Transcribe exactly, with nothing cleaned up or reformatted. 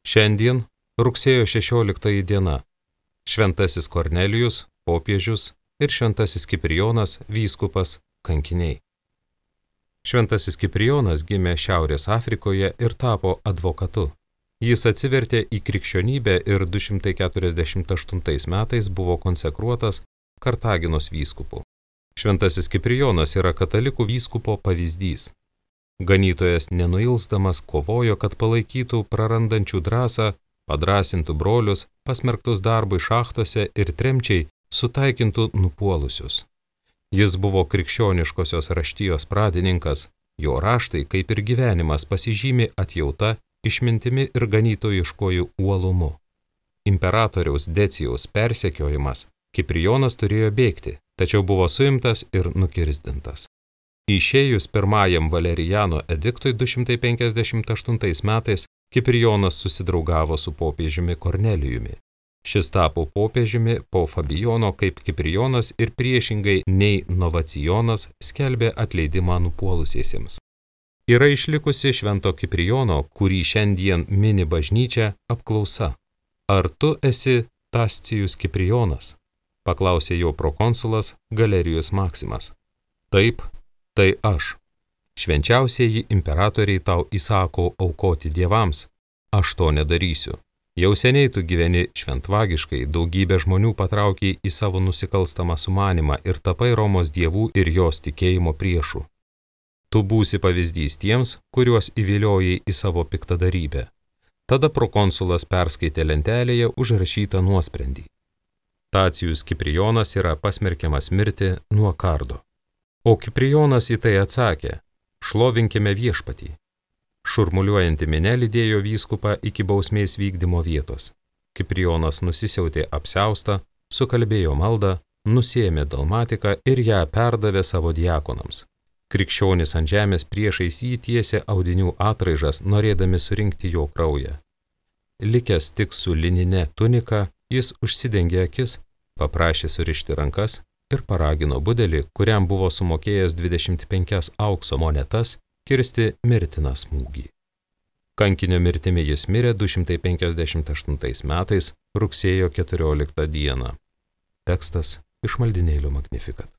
Šiandien rugsėjo šešioliktoji diena. Šventasis Kornelijus, popiežius ir šventasis Kiprijonas, vyskupas, kankiniai. Šventasis Kiprijonas gimė Šiaurės Afrikoje ir tapo advokatu. Jis atsivertė į krikščionybę ir du šimtai keturiasdešimt aštuntais metais buvo konsekruotas Kartaginos vyskupu. Šventasis Kiprijonas yra katalikų vyskupo pavyzdys. Ganytojas nenuilsdamas kovojo, kad palaikytų prarandančių drąsą, padrąsintų brolius, pasmerktus darbui šachtose ir tremčiai, sutaikintų nupuolusius. Jis buvo krikščioniškosios raštijos pradininkas, jo raštai, kaip ir gyvenimas, pasižymi atjauta, išmintimi ir ganytojiškojų uolumu. Imperatoriaus Decijaus persekiojimas Kiprijonas turėjo bėgti, tačiau buvo suimtas ir nukirsdintas. Išėjus pirmajam Valerijano ediktui du šimtai penkiasdešimt aštuntais metais Kiprijonas susidraugavo su popiežiumi Kornelijumi. Šis tapo popiežiumi po Fabijono, kaip Kiprijonas ir priešingai nei Novacijonas skelbė atleidimą nupuolusiesiems. Yra išlikusi švento Kiprijono, kurį šiandien mini bažnyčia, apklausa. Ar tu esi Tascijus Kiprijonas? Paklausė jo prokonsulas Galerijus Maksimas. Taip, tai aš. Švenčiausieji imperatoriai tau įsako aukoti dievams. Aš to nedarysiu. Jau seniai tu gyveni šventvagiškai, daugybė žmonių patraukiai į savo nusikalstamą sumanimą ir tapai Romos dievų ir jos tikėjimo priešų. Tu būsi pavyzdys tiems, kuriuos įviliojai į savo piktadarybę. Tada prokonsulas perskaitė lentelėje užrašytą nuosprendį. Tacijus Kiprijonas yra pasmerkiamas mirti nuo kardo. O Kiprijonas į tai atsakė: šlovinkime viešpatį. Šurmuliuojanti minia lydėjo vyskupą iki bausmės vykdymo vietos. Kiprijonas nusisiautė apsiaustą, sukalbėjo maldą, nusiėmė dalmatiką ir ją perdavė savo diakonams. Krikščionis ant žemės priešais jį tiesė audinių atraižas, norėdami surinkti jo kraują. Likęs tik su linine tunika, jis užsidengė akis, paprašė surišti rankas ir paragino budelį, kuriam buvo sumokėjęs dvidešimt penkias aukso monetas, kirsti mirtiną smūgį. Kankinio mirtimi jis mirė du šimtai penkiasdešimt aštuntais metais rugsėjo keturioliktą dieną. Tekstas iš maldynėlio Magnificat.